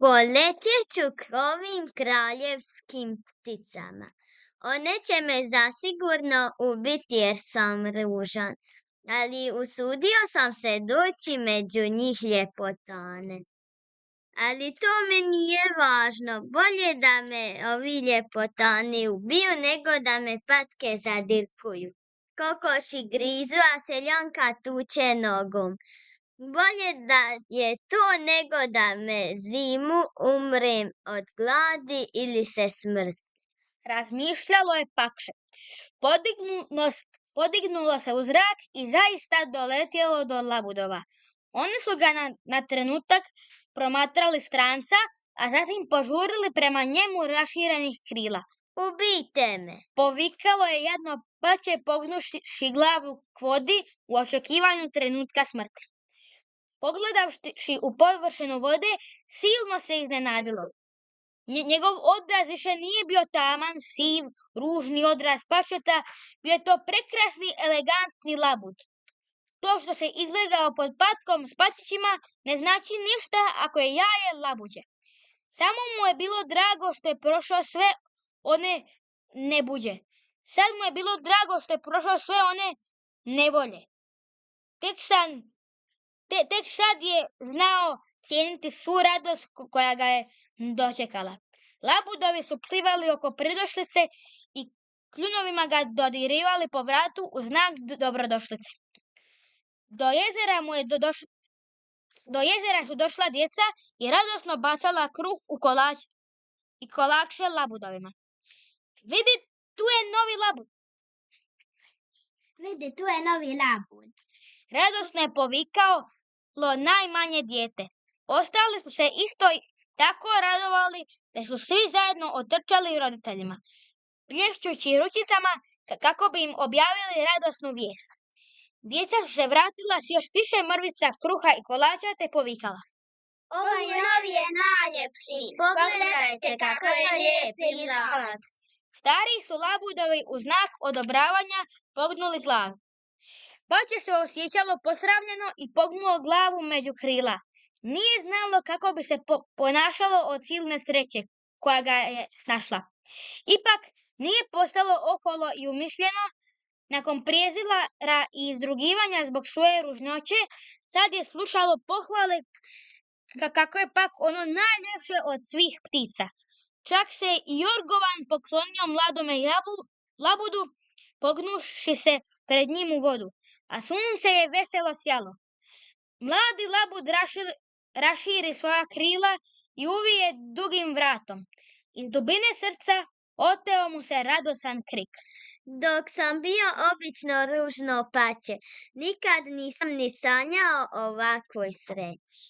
Poletjet ću k ovim kraljevskim pticama. One će me zasigurno ubiti jer sam ružan, ali usudio sam se doći među njih ljepotane. Ali to me nije važno, bolje da me ovi ljepotani ubiju nego da me patke zadirkuju. Kokoši grizu, a seljanka tuče nogom. Bolje da je to nego da me zimu umrem od gladi ili se smrznem. Razmišljalo je pakše. Podignulo se u zrak i zaista doletjelo do labudova. Oni su ga na trenutak promatrali stranca, a zatim požurili prema njemu raširenih krila. Ubijte me! Povikalo je jadno pače pognuši glavu k vodi u očekivanju trenutka smrti. Pogledavši u površinu vode, silno se iznenadilo. Njegov odraz više nije bio taman, siv, ružni odraz pačeta, bio je to prekrasni, elegantni labud. To što se izlegao pod patkom s pačićima ne znači ništa ako je jaje labuđe. Samo mu je bilo drago što je prošao sve one nebuđe. Sad mu je bilo drago što je prošao sve one nevolje. Tek sad je znao cijeniti svu radost koja ga je dočekala. Labudovi su plivali oko pridošlice i kljunovima ga dodirivali po vratu u znak dobrodošlice. Do jezera su došla djeca i radosno bacala kruh u kolače labudovima. Vidi, tu je novi labud! Radosno je povikalo najmanje dijete. Ostali su se isto tako radovali da su svi zajedno otrčali roditeljima, plješćući ručicama kako bi im objavili radosnu vijest. Djeca su se vratila s još više mrvica kruha i kolača te povikala. Ovaj novi je najljepši, pogledajte kako je lijep i mlad. Stari su labudovi u znak odobravanja pognuli glavu. Pače se osjećalo posramljeno i pognulo glavu među krila. Nije znalo kako bi se ponašalo od silne sreće koja ga je snašla. Ipak nije postalo oholo i umišljeno. Nakon prijezira i izdrugivanja zbog svoje ružnoće, sad je slušalo pohvale kako je pak ono najljepše od svih ptica. Čak se i Jorgovan poklonio mladome labudu, pognuši se pred njim u vodu, a sunce je veselo sjalo. Mladi labud raširi svoja krila i uvije dugim vratom. Iz dubine srca oteo mu se radosan krik. Dok sam bio obično ružno pače, nikad nisam ni sanjao o ovakvoj sreći.